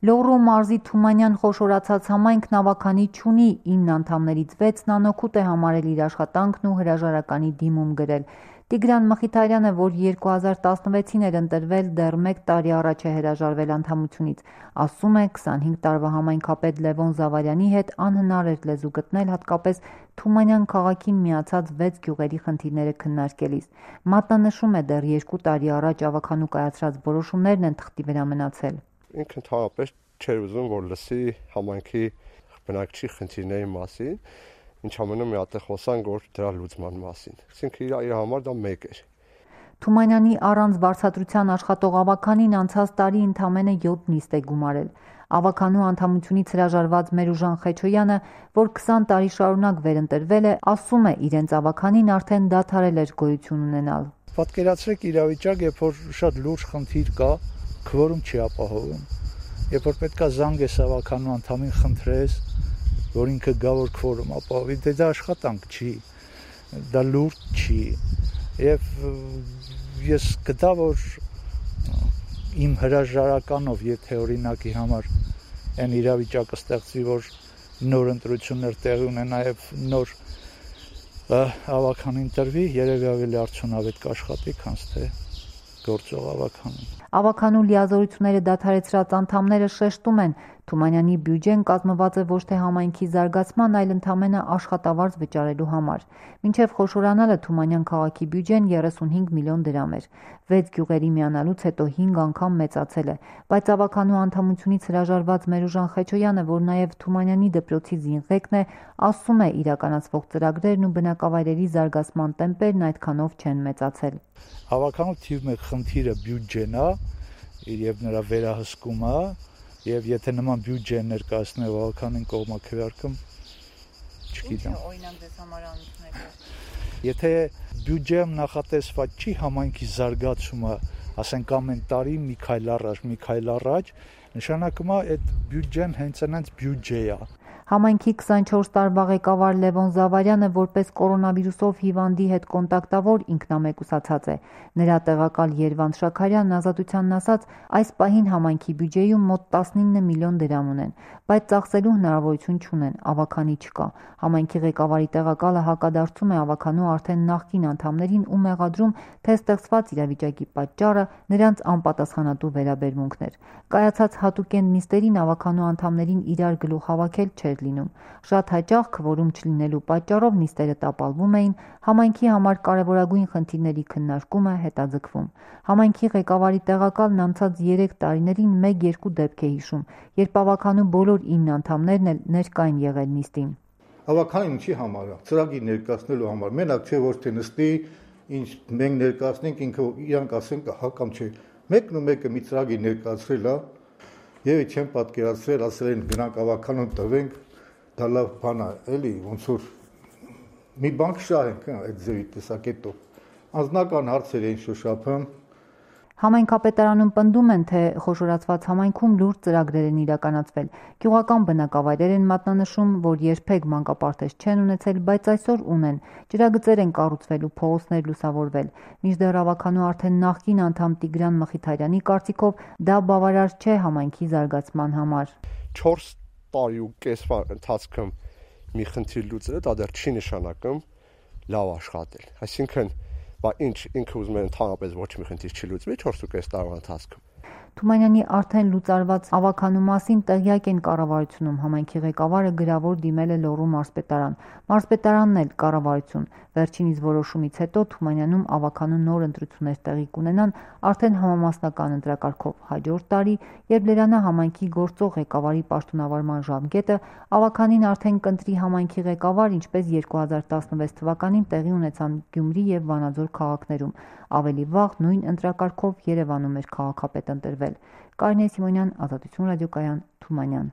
Լոռու մարզի Թումանյան խոշորացած համայնքն ավաքանի չունի, 9 անդամներից 6-ն անօգուտ է համարել իր աշխատանքն ու հրաժարականի դիմում գրել։ Տիգրան Մխիթարյանը, որ 2016-ին էր ընտրվել, դեռ 1 տարի առաջ է հրաժարվել անդամությունից։ Ասում է, 25 տարվա համայնքապետ Լևոն Զավարյանի հետ անհնար էր լեզու գտնել, հատկապես Թումանյան քաղաքին միացած 6 գյուղերի խնդիրները քննարկելիս։ Մատնանշում է, դեռ 2 տարի առաջ ավաքանու կայացրած որոշումներն են թղթի վրա մնացել։ Ինքը ընդհանրապես չէր ուզում, որ լսի համայնքի բնակչի խնդիրների մասին, ինչ ամենը մի հատ խոսանք, որ դրա լուծման մասին։ Այսինքն իր համար դա մեկ էր։ Թումանյանի առանց վարձատրության աշխատող ավաքանին անցած տարի ընդամենը 7 նիստ է գումարել։ Ավաքանու անդամությունից հրաժարված Մերուժան Խեչոյանը, որ 20 տարի շարունակ վերընտրվել է, ասում է, իրենց ավաքանին արդեն դադարել էր գոյություն ունենալ։ Պատկերացրեք իրավիճակ, երբ որ շատ լուրջ խնդիր կա, քվորում չի ապահովում։ Երբ որ պետքա զանգես ավաքանու անդամին խնդրես, որ ինքը գա որ քվորում ապահովի, դա աշխատանք չի, դա լուրջ չի։ Եվ ես գտա, որ իմ հրաժարականով, եթե օրինակի համար այն իրավիճակը ստեղծվի, որ նոր ընտրություններ տեղի ունենա եւ նոր ավաքանին տրվի, երևի ավելի արդյունավետ կաշխատի, քան թե գործող ավաքանին։ Ավաքանու լիազորությունները դադարեցրած անդամները շեշտում են, Թումանյանի բյուջեն կազմված է ոչ թե համայնքի զարգացման, այլ ընդամենը աշխատավարձ վճարելու համար։ Մինչև խոշորանալը Թումանյան քաղաքի բյուջեն 35 միլիոն դրամ էր։ 6 գյուղերի միանալուց հետո 5 անգամ մեծացել է, բայց ավաքանու անդամությունից հրաժարված Մերուժան Խեչոյանը, որ նաև Թումանյանի դպրոցի զինղեկն է, ասում է, իրականացվող ծրագրերն ու բնակավայրերի զարգացման տեմպերն այդքանով չեն մեծացել։ Ավաքանու թիվ 1 խնդիրը բյուջեն է եւ նրա վերահսկումը, եւ եթե նման բյուջե ներկայացնելով ավականին կողմա քվեարկում, չգիտեմ։ Ինչ օրինակ դες համար անցնեք։ Եթե բյուջեում նախատեսված չի համայնքի զարգացումը, ասենք ամեն տարի մի քայլ առաջ, նշանակում է այդ բյուջեն հենց այնց բյուջե է։ Համայնքի 24 տարվա ղեկավար Լևոն Զավարյանը որպես կորոնավիրուսով հիվանդի հետ կոնտակտավոր ինքնամեկուսացած է։ Նրա տեղակալ Երվանդ Շաքարյանն Ազատությանն ասաց, այս պահին համայնքի բյուջեում մոտ 19 միլիոն դրամ ունեն, բայց ծախսելու հնարավորություն չունեն, ավաքանի չկա։ Համայնքի ղեկավարի տեղակալը հակադարձում է ավաքանու արդեն նախկին անդամներին ու մեղադրում, թե ստեղծված իրավիճակի պատճառը նրանց անպատասխանատու վերաբերմունքն էր։ Կայացած հատուկենտ նիստերին ավաքանու անդամներին իրար գլուխ հավաքել չէր լինում։ Շատ հաճախ քվորում չլինելու պատճառով նիստերը տապալվում էին, համայնքի համար կարևորագույն խնդիրների քննարկումը հետաձգվում։ Համայնքի ղեկավարի տեղակալն անցած 3 տարիներին 1-2 դեպք է հիշում, երբ ավաքանու բոլոր 9 անդամներն էլ ներկա են եղել նիստին։ Ավաքանին ինչի համար է, ծրագիր ներկայացնելու համար, մենակ չէ ոչ թե նստի, ինչ մենք ներկայացնենք, ինքը իրանք ասեն հա կամ չէ։ Մեկն ու մեկը մի ծրագիր ներկայացրել է, եւ չեմ պատկերացրել, ասել են գնանք ավաքանուն տվենք, դա լավ բան է, էլի ոնց որ մի բան շահենք այդ ձևի տեսակետով։ Անձնական հարցեր էին շոշափում։ Համայնքապետարանում պնդում են, թե խոշորացված համայնքում լուրջ ծրագրեր են իրականացվել։ Գյուղական բնակավայրեր են մատնանշում, որ երբեք մանկապարտեզ չեն ունեցել, բայց այսօր ունեն։ Ջրագծեր են կառուցվել ու փողոցներ լուսավորվել։ Մինչդեռ ավաքանու արդեն նախկին անդամ Տիգրան Մխիթարյանի կարծիքով դա բավարար չէ համայնքի զարգացման համար։ 4 տարի ու կեսվա ընթացքում մի խնդիր լուծելը դա դեռ չի նշանակում լավ աշխատել։ Այսինքն բա ինչ ինքը ուզում է ընդհանրապես ոչ մի խնդիր չի լուծվի 4.5 տարվա ընթացքում։ Թումանյանի արդեն լուծարված ավաքանու մասին տեղյակ են կառավարությունում, համայնքի ղեկավարը գրավոր դիմել է Լոռու մարզպետարան։ Մարզպետարանն էլ կառավարություն։ Վերջինիս որոշումից հետո Թումանյանում ավաքանու նոր ընտրություններ տեղի կունենան արդեն համամասնական ընտրակարգով հաջորդ տարի, երբ Լերանա համայնքի գործող ղեկավարի պաշտոնավարման ժամկետը ավաքանին արդեն կընտրի համայնքի ղեկավար, ինչպես 2016 թվականին տեղի ունեցան Գյումրի եւ Վանաձոր քաղաքներում։ Ավելի վաղ նույն ընտրակարգով Երևանում էր քաղաքապետ ընտրվել։ Կարինե Սիմոնյան, Ազատություն ռադիոկայան, Թումանյան։